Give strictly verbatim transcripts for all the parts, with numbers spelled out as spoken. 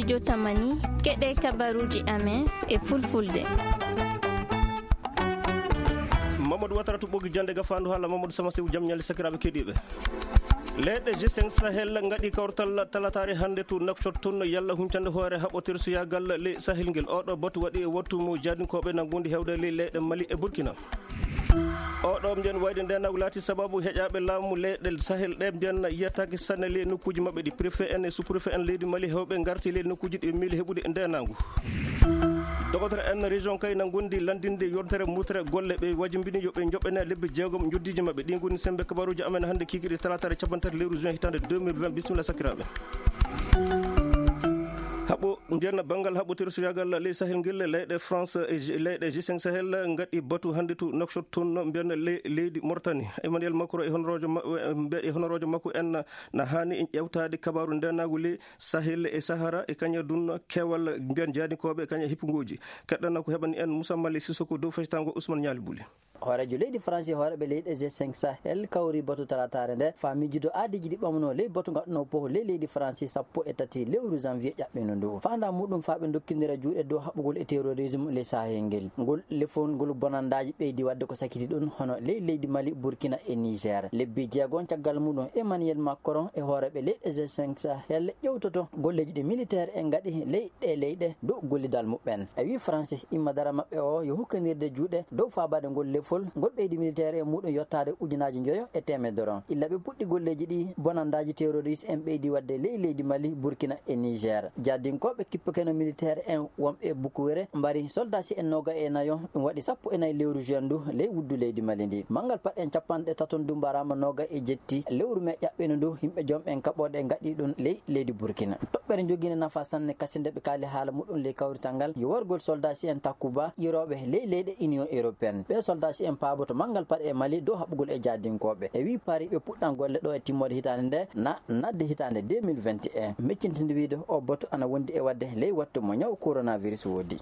Jotamani, keɗe kabaruji amen e fulfulde. Mamadou Watara to ɓogi jande gafandu hala Mamadou Sama Sew jam ñalle sakiraɓe keɗiɓe. Leyɗe G cinq Sahel ngaɗi kawrtal talatare hannde to Nouakchott toon yalla huncande hoore haɓɓotere suyagal ley Sahel ngel. Oɗo batu waɗi e wattu mo jaadinkoɓe nangundi hewde ley leyɗe Mali e Burkina. Oɗo mbiyen wayde ndenagu laati sababu heƴaɓe laamu leyɗe Sahel ɗe mbiyen yettaki sanne ley nokkuji maɓɓe ɗi. Préfet en e sous-préfet en leydi Mali hewɓe ngarti ley nokkuji ɗi miili heɓude ndenagu. Dogotere en région kay na gondi landinde yontere mutere golle ɓe wajimbini yo ɓe joɓɓene lebbi jeegom joddiji maɓɓe. Ɗi ngoni sembe kabaruji amen hannde kikiɗe talatare capanɗe tati lewru juin hitande deux mille vingt. Bisimilla sakiraɓe. Haɓo mbiyen banngal haɓɓotere suyagal ley Sahel ngel, leyɗe France e G- leyɗe G cinq Sahel ngaɗi batu hannde to Nouakchott toon mbiyen le- leydi Mauritanie. Emmanuel Macron e honoroojo ma- e mbe- e honoroojo makko en na hani en ƴewtade kabaru ndenagu ley Sahel e Sahara e kaña dun kewal mbiyen jaadinkoɓe e kaña hippugoji. Keɗɗana ko heɓani en Moussa Mali Sissoko dow fectango Ousmane Ñaali Buli. Hooreejo leydi France e hooreeɓe leyɗe G cinq Sahel kawri batu talatare nde faa miijude aadiiji ɗi ɓamno ley batu ngaɗuno poho ley leydi France sappo e tati lewru janvier ƴaɓɓino ndu. Faandaa muɗum faa ɓe ndokkindira juuɗe dow haɓugol e terrorisme ley Sahel ngel. Ngol lefol ngol bonandaaji ɓeydi waɗde ko sakiti ɗum hono ley leydi Mali, Burkina e Niger. Lebbi jeegon caggal muɗum Emmanuel Macron e hooreeɓe leyɗe G cinq Sahel ƴewtoto golleeji ɗi militaire en ngaɗi ley ɗe leyɗe dow gollidal muɓɓen. E wi France, imma dara maɓɓe o yo hukkandirde juuɗe dow faabaade ngol lefol, ngol ɓeydi militaire e muɗum yottaade ujunaaji njoyo e teemedere on. Illa ɓe puɗɗi golleeji ɗi, bonandaaji terroriste en ɓeydi waɗde ley leydi Mali, Burkina e Niger. Jaadinkooɓe kippikeno militaire en wonɓe e Bukuwere mbari soldasi en nooga e nayo, ɗum waɗi sappo e nayi lewru juin ndu ley wuddu leydi Mali ndi. Manngal paɗen capanɗe taton ndu mbaraama nooga e jetti lewru me ƴaɓɓino ndu, yimɓe jom en kaɓooɗe ngaɗi ɗum ley leydi Burkina. Toɓɓere jogiinde nafa sanne kasinde ɓe kaali haala muɗum ley kawrital ngal yo wargol soldasi en Takuba irooɓe ley leyɗe Union Européenne. Ɓee soldasi en paaboto manngal paɗe e Mali dow haɓugol e jaadinkooɓe. E wii Paris ɓe puɗɗan golle ɗo e timmoode hitaande nde na nadde hitaande deux mille vingt et un. Meccintinde wiide o boto ana wondi e waɗde ley wattu mo ñaw coronavirus woodi.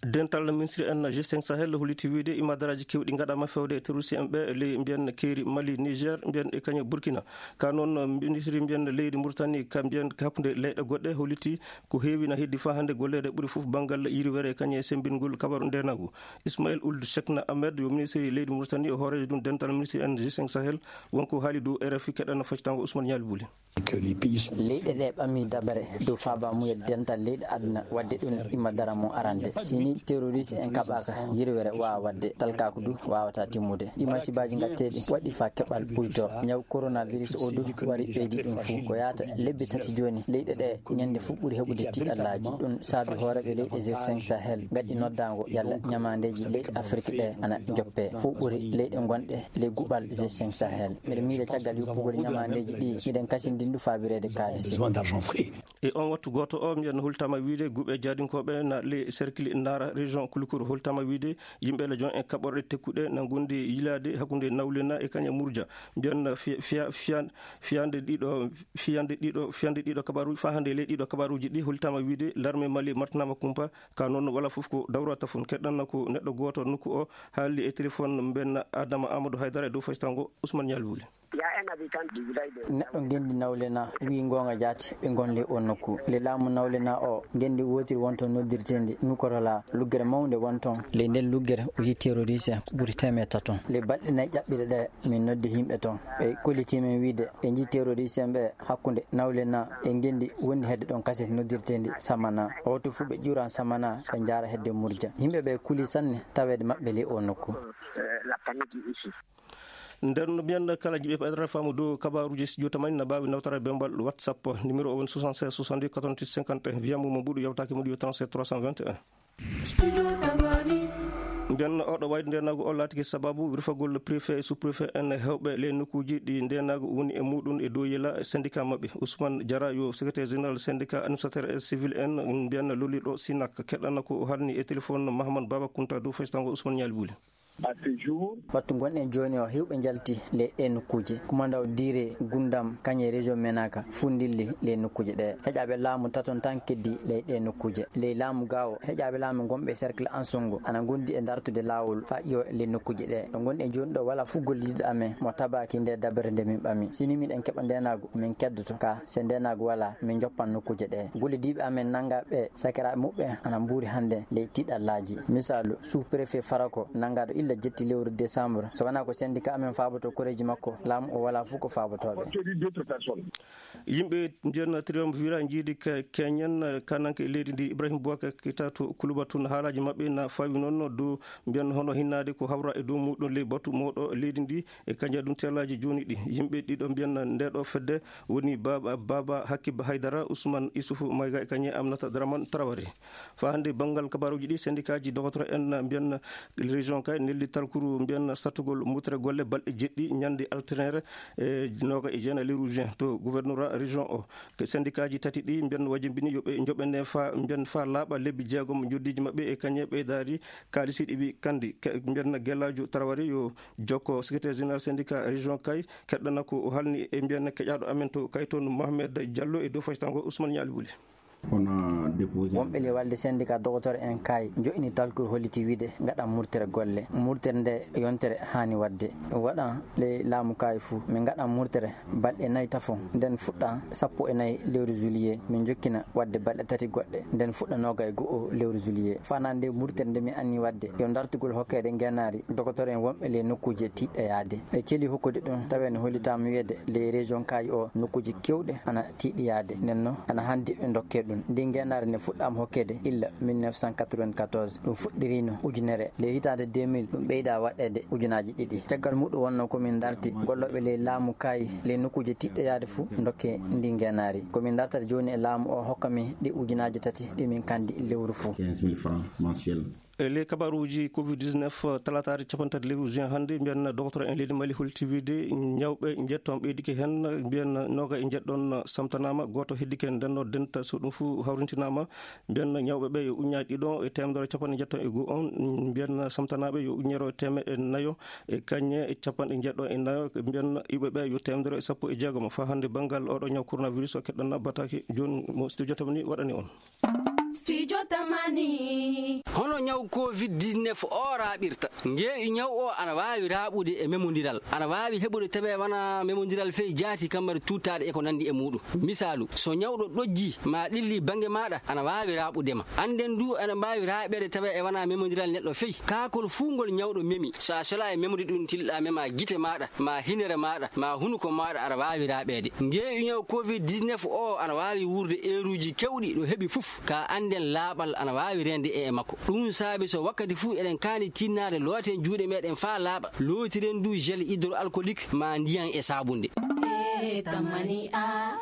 Dental ministre en G cinq Sahel holliti wiide imadaraaji keewɗi ngaɗaama fewde e terroriste en ɓe ley mbiyen keeri Mali, Niger, mbiyen e kañum Burkina. Ka noon ministre mbiyen leydi Mauritanie ka mbiyen hakkunde leyɗe goɗɗe holliti ko heewi na heddi faa hannde golleede ɓuri fof banngal yirwere e kañum e semmbingol kabaru ndenagu. Ismail Ould Cheikhna Ahmed yo ministre leydi Mauritanie o hooreejo ɗum dental ministre en G cinq Sahel wonko haali dow R F I keɗana faccitango Ousmane Ñaali Buli. Leyɗe ɗe ɓami dabare dow faabamuyel dental leyɗe aduna waɗde ɗum imma dara mum arande. Si ni terroriste en kaɓaka yirwere wawa waɗde, talkaku du wawata timmude. Ɗi masibaji gatteɗi waɗi fa keɓal ɓuyto. Ñaw coronavirus o du wari ɓeydi ɗum fuu. Ko yaata lebbi tati joni leyɗe ɗe ñande fuu ɓuri heɓude tiɗallaji. Ɗum saabi hooreɓe leyɗe G cinq Sahel gaɗi noddago yalla ñamandeji leyɗe Afrique ɗe ana joppe fuu ɓuri leyɗe gonɗe ley guɓal G cinq Sahel. Mbeɗa miila caggal yuppugol ñamandeji ɗi, miɗen kasindin du faabireede kaalisi. E on wattu gooto o, mbiyen holtama wiide guɓe jaadinkoɓe na le cercle Nara région Koulikoro holtama wiide yimɓe le jon e kaɓorɗe tekkuɗe na gondi yilaade hakkunde Nawlena e kañum Murja. Mbiyen fi- fiya- fiyan- fiyande ɗiɗo fiyande ɗiɗo fiyande ɗiɗo kabaru fa hande le ɗiɗo kabaruji ɗi holtama wiide l'armée Mali martinama kumpa. Ka noon wala fof ko dawrata fon keɗɗanna ko neɗɗo gooto nokku o haaldi e téléphone mbenna Adama Amadou Haydara e dow faytango Ousmane Ñaali Wuli. Neɗɗo ngenndi Nawlena wii goonga jaati ɓe ngon ley oo nokku. Le laamu Nawlena o ngenndi wootiri won toon noddirteendi Nukorola, luggere mawnde won toon. Ley nden luggere o yii terroriste en ko ɓuri teemeɗɗe tato. Le balɗe nayi ƴaɓɓiɗe ɗe min noddi yimɓe toon. Ɓe kollitii min wiide ɓe njii terroriste en ɓe hakkunde Nawlena e ngenndi wondi hedde ɗon kaset noddirteendi Samana. Oto fuu ɓe ƴuuran Samana ɓe njaara hedde Murja. Yimɓe ɓe kulii sanne taweede maɓɓe ley oo nokku. Nden no mbiyan kala jiɓe paɗata faamu dow kabaruji studio tamani na mbaawi nawtara bembal WhatsApp. Numéro o woni soixante-seize soixante-dix quatre-vingt-huit cinquante et un. Mbiyan mo mo mbuɗu yewtaki mo ɗi yo trente-sept trois cent vingt et un. Mbiyan oɗo wayde ndenagu o laatiki sababu wirfagol préfet e sous-préfet en hewɓe ley nokkuji ɗi ndenagu woni e muɗum e dow yela syndicat maɓɓe. Ousmane Diarra yo secrétaire général syndicat administrateur et civil en mbiyan lolirɗo Sinak keɗɗana ko o halni e téléphone Mahamane Baba Kunta dow faytango Ousmane Ñaali Buli. Wattu ngonɗen jooni o, heewɓe njalti ley ɗee nokkuuje. Kumandaw Dire, Gundam, kañe région Menaka, fuu ndilli ley nokkuuje ɗee. Heƴaaɓe laamu taton tan keddii ley ɗee nokkuuje. Ley laamu Gaawo, heƴaaɓe laamu ngonɓe cercle Ansongo ana ngondi e dartude laawol faa ƴiwo ley nokkuuje ɗee. Ɗo ngonɗen jooni ɗoo, walaa fuu gollidiiɗo amen mo tabaaki ndee dabere nde min ɓami. Si nii miɗen keɓa ndeenaagu, min keddoto. Kaa se ndeenaagu walaa, min njoppan nokkuuje ɗee. Gollidiiɓe amen nanngaaɓe sakiraaɓe muɓɓen ana mbuuri hannde ley tiiɗallaaji. Misaalu, sous-préfet Farako nanngaaɗo illa jetti lewru décembre. So wanaa ko syndicat amen faabotoo koreeji makko, laamu o walaa fuu ko faabotoo ɓe. Yimɓe mbiyan triumvirat njiidi Keñen kananke e leydi ndi, Ibrahim Boubacar Keita to Kuluba tun, haalaaji maɓɓe na fawi noon dow mbiyan hono hinnaade ko hawra e dow muɗum ley batu mawɗo leydi ndi e kañje ɗum teelaaji jooni ɗi. Yimɓe ɗiɗo mbiyan nde ɗo fedde woni Baba, Baba Hakib Haydara, Ousmane Issoufou Maïga e kañe Aminata Dramane Traoré. Faa hannde banngal kabaaruuji ɗi, sendikaaji dokotoro en mbiyan région Kay nelli talkuru mbiyan sattugol murtere golle balɗe jeɗɗi ñande alternere e nooga e jeena lewru juin to gouverneur région o. Ke sendikaaji tati ɗi mbiyan wajimbini yo ɓe njoɓene faa mbiyan faa laaɓa lebbi jeegom njoddiiji maɓɓe e kañe ɓeydaari kaalisi ɗi ɓi kandi. Ke-, mbiyan Gellaajo Traoré yo jokko secrétaire général syndicat région Kay keɗɗana ko o halni e mbiyan keƴaaɗo amen to Kay toon Mohamed Diallo e dow faytango Ousmane Ñaali Wuli. On a déposé. Wonɓe ley walde syndicat docteur en Kay njoƴini talkuru holliti wiide ngaɗan murtere golle. Murtere nde yontere haani waɗde. Ɗum waɗan ley laamu Kay fuu. Min ngaɗan murtere balɗe nayi tafon. Nden fuɗɗa sappo e nayi lewru juillet. Min njokkina waɗde balɗe tati goɗɗe. Nden fuɗɗa nooga e go'o lewru juillet. Fanaande murtere nde min anni waɗde, yo dartugol hokkeede ngeenaari docteur en wonɓe ley nokkuuje tiiɗɗe yaade. Ɓe celi hokkude ɗum, tawi no hollitaama wiyeede ley région Kay o nokkuuji keewɗi ana tiiɗi yaade. Nden noon, ana handi ɓe ndokkee ɗum. Ndin ngeenaari ne fuɗɗaama hokkeede illa mille neuf cent quatre-vingt-quatorze. Ɗum fuɗɗiriino ujunere. Ley hitaande deux mille, ɗum ɓeydaa waɗeede ujunaaji ɗiɗi. Caggal muɗum wonnoo ko min darti gollooɓe ley laamu Kay ley nokkuuje tiiɗɗe yaade fuu ndokkee ndin ngeenaari. Ko min dartata jooni e laamu o hokka min ɗi ujunaaji tati ɗi min kandi lewru fuu. Quinze mille francs mensuels. E ley kabaruuji covid dix-neuf, talaataare cappanɗe tati lewru juin hannde, mbiyan docteur en leydi Mali holti wiide ñawɓe njetton ɓeydike heen, mbiyan nooga e njeɗɗon samtanaama, gooto heddike ndenno denta, so ɗum fuu hawrintinaama, mbiyan ñawɓe ɓe yo uññaaji ɗiɗo e teemedere cappanɗe njeɗɗon e go'o on, mbiyan samtanaaɓe yo uññere teemeɗɗe nayo e kañe e cappanɗe njeɗɗon e nayo, mbiyan iwɓe ɓe yo teemedere e sappo e jeegom. Faa hannde banngal oɗo ñaw coronavirus o keɗɗanna bataki jooni mo studio tamani waɗani on. Studio Tamani. Hono ñaw covid dix-neuf o raaɓirta? Ngeeƴu ñaw o ana waawi raaɓude e memondiral. Ana waawi heɓude tawi wona memondiral fey jaati kammari tuuttaaɗe e ko nanndi e muuɗum. Misaalu, so ñawɗo ɗojji ma ɗilli bannge maaɗa, ana waawi raaɓude ma. Annden du ana mbaawi raaɓeede tawi e wona memondiral neɗɗo fey. Kaakol fuu ngol ñawɗo memi, so a sola e memude ɗum, tilɗa mema gite maaɗa, ma hinere maaɗa, ma hunuko maaɗa, aɗa waawi raaɓeede. Ngeeƴu ñaw covid dix-neuf o ana waawi wuurde eeruuji keewɗi ɗo heɓi fof. Ka annden laaɓal ana waawi reende e e makko. Ɗum saabi so wakkati fuu eɗen kaani tinnaade looten juuɗe meɗen faa laaɓa, lootiren du gel hydroalcoolique ma ndiyan e saabunde. E tamani a.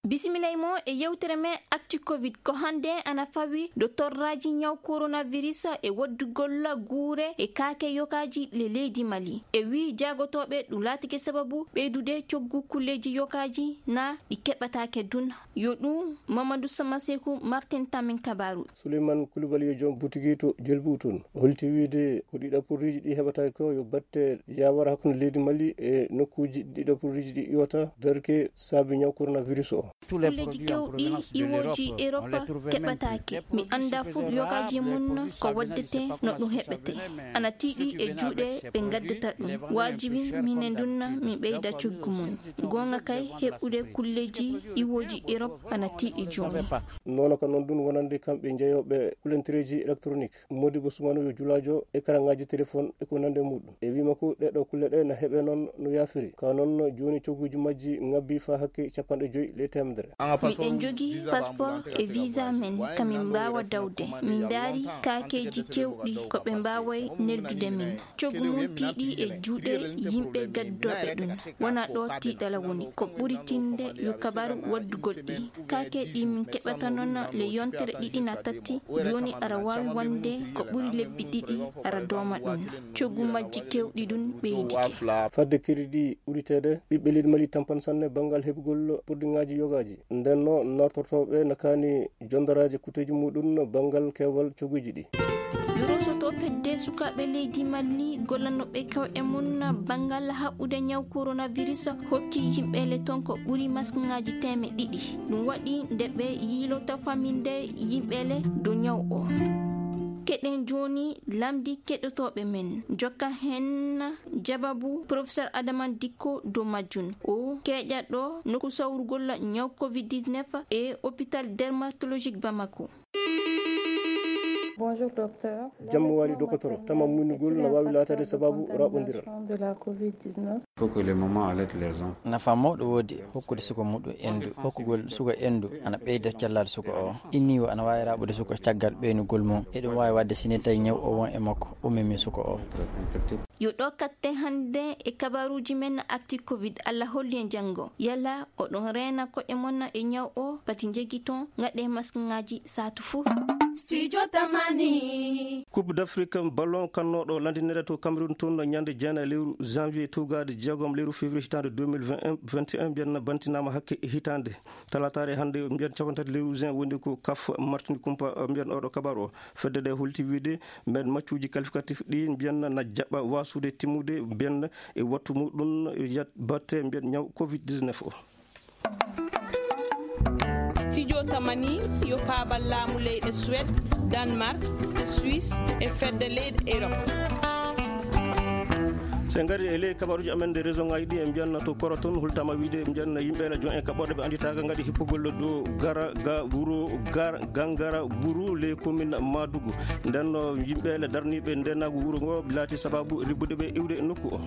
Bisimilay mo e yewtere men Actu Covid. Ko hannde ana fawi ɗo torraaji ñaw coronavirus e waddugol guure e kaake yokaaji le leydi Mali. E wii jaagotooɓe ɗum laatike sababu ɓeydude coggu kulleeji yokaaji na ɗi keɓataake dun. Yo ɗum Mamadou Samaseku Martin Tamin Kabaru. Souleymane Koulibaly yo joom butigi to Jelbu toon. O holti wiide ko ɗiɗo porriiji ɗi heɓata ko yo batte yaawara hakkunde leydi Mali e nokkuuji ɗiɗo porriiji ɗi iwata darke saabi ñaw coronavirus o. Kulleeji kewɗi iwooji Europe keɓataake. Mi anndaa fuu yokaaji mum ko waddete no ɗum heɓete. Ana tiiɗi e juuɗe ɓe ngaddata ɗum. Waajibi minen dunna min ɓeyda coggu mum. Goonga kay, heɓude kulleeji iwooji Europe ana tiiɗi jooni. Noon ko noon ɗum wonande kamɓe jeyooɓe kulentereeji électronique. Modibo Sumano yo julaajo e karaŋaaji téléphone e ko nande muɗum. E wii makko ɗee ɗoo kulle ɗe na heɓe noon no yaafiri. Ka noon jooni cogguuji majji ŋabbi faa hakke cappanɗe joy ley teemedere. Miɗen njogii passeport e visa men, ka min mbaawa dawde. Min ndaari kaakeeji keewɗi ko ɓe mbaaway neldude min. Coggu mum tiiɗi e juuɗe yimɓe gaddooɓe ɗum. Wonaa ɗo tiiɗala woni. Ko ɓuri tinde yo kabaru waddugol ɗi. Kaake ɗi min keɓata noon le yontere ɗiɗi na tatti. Jooni aɗa waawi wonde ko ɓuri lebbi ɗiɗi aɗa dooma ɗum. Coggu majji keewɗi ɗum ɓeydike. Fadde crédit ɓuriteede, ɓiɓɓe leydi Mali tampan sanne banngal heɓugol porodiŋaaji yogaaji. Nden no, nootortooɓe na kaani jondoraaji kuuteeji muɗum banngal keewal cogguuji ɗi. Yorosoto fedde Sukaaɓe leydi Mali gollanooɓe kawɗe mum banngal haɓɓude ñaw coronavirus hokki yimɓe le ton ko ɓuri maskŋaaji teemeɗɗe ɗiɗi. Ɗum waɗi nde ɓe yiilota faminde yimɓe le dow ñaw o. Keɗen jooni lamndi keɗotooɓe men. Jokka heen jababu Professeur Adama Dikko dow majjum. O keeƴaɗo nokku sawrugol ñaw covid dix-neuf e hôpital dermatologique Bamako. Bonjour, docteur. Jammo wali dokotoro, tama muññugol no waawi laataade sababu raɓondiral. De la covid dix-neuf. Il faut que les mamans allaitent les enfants. Nafa mawɗo woodi hokkude suka muɗum endu. Hokkugol suka endu ana ɓeyda cellal suka o. Inniwo ana waawi raɓude suka caggal ɓeynugol mum. Eɗum waawi waɗde si ne tawi ñaw o won e makko, o memi suka o. Yo ɗo katte hannde e kabaruuji men Actu Covid. Allah holli en janngo. Yalla oɗon reena koɗe mon e ñaw o, pati njegiton, ngaɗe maskŋaaji saatu fuu. Studio Tamani. Coupe d'Afrique ballon kannooɗo lanndinede to Cameroun toon ñande jeenayi lewru janvier tugaaɗo jeegom lewru février hitaande deux mille vingt et un, mbiyen bantinaama hakke hitaande. Talataare hannde mbiyen cappanɗe tati lewru juin woni ko kaf martini kumpa mbiyen oɗo kabar o. Fedde ɗe holti wiide mbiyen maccuuji qualificatif ɗi mbiyen na jaɓa wasude timmude mbiyen e wattu muɗum yat batte mbiyen ñaw covid dix-neuf o. Studio Tamani yo paabal laamu leyɗe Suède, Danemark, Suisse e fedde leyɗe Europe. So en ngari e ley kabaruuji amen nde région ŋaaji ɗi, en mbiyan to Koro toon, hultama wiide, en mbiyan yimɓe ene jon e kaɓɓorɗe ɓe annditaaka ngaɗi hippugol dow gara ga wuro gar gangara buru ley commune Madugu. Nden no yimɓe le darniiɓe ndenaagu wuro ngo laati sababu ribbude ɓe iwde nokku o.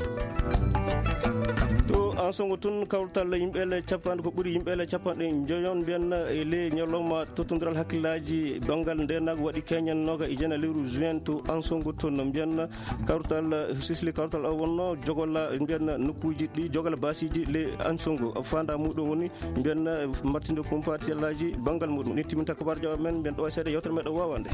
To Ansongo toon, kawtal yimɓe le capanɗe, ko ɓuri yimɓe le capanɗe njoyon mbiyan e ley ñalawma tottondiral hakkillaaji banngal ndenaagu waɗi keñen nooga e jeenayi lewru juin to Ansongo toon no mbiyan kawtal sisli kawtal o wonno jogola mbiyan nokkuuji ɗi jogola basiiji le Ansongo fanda muɗum woni mbiyan martinde kumpatiyallaaji banngal muɗum. Ni timinta kabaruuji amen mbiyan ɗo e seeɗa yewtere meɗen wawande.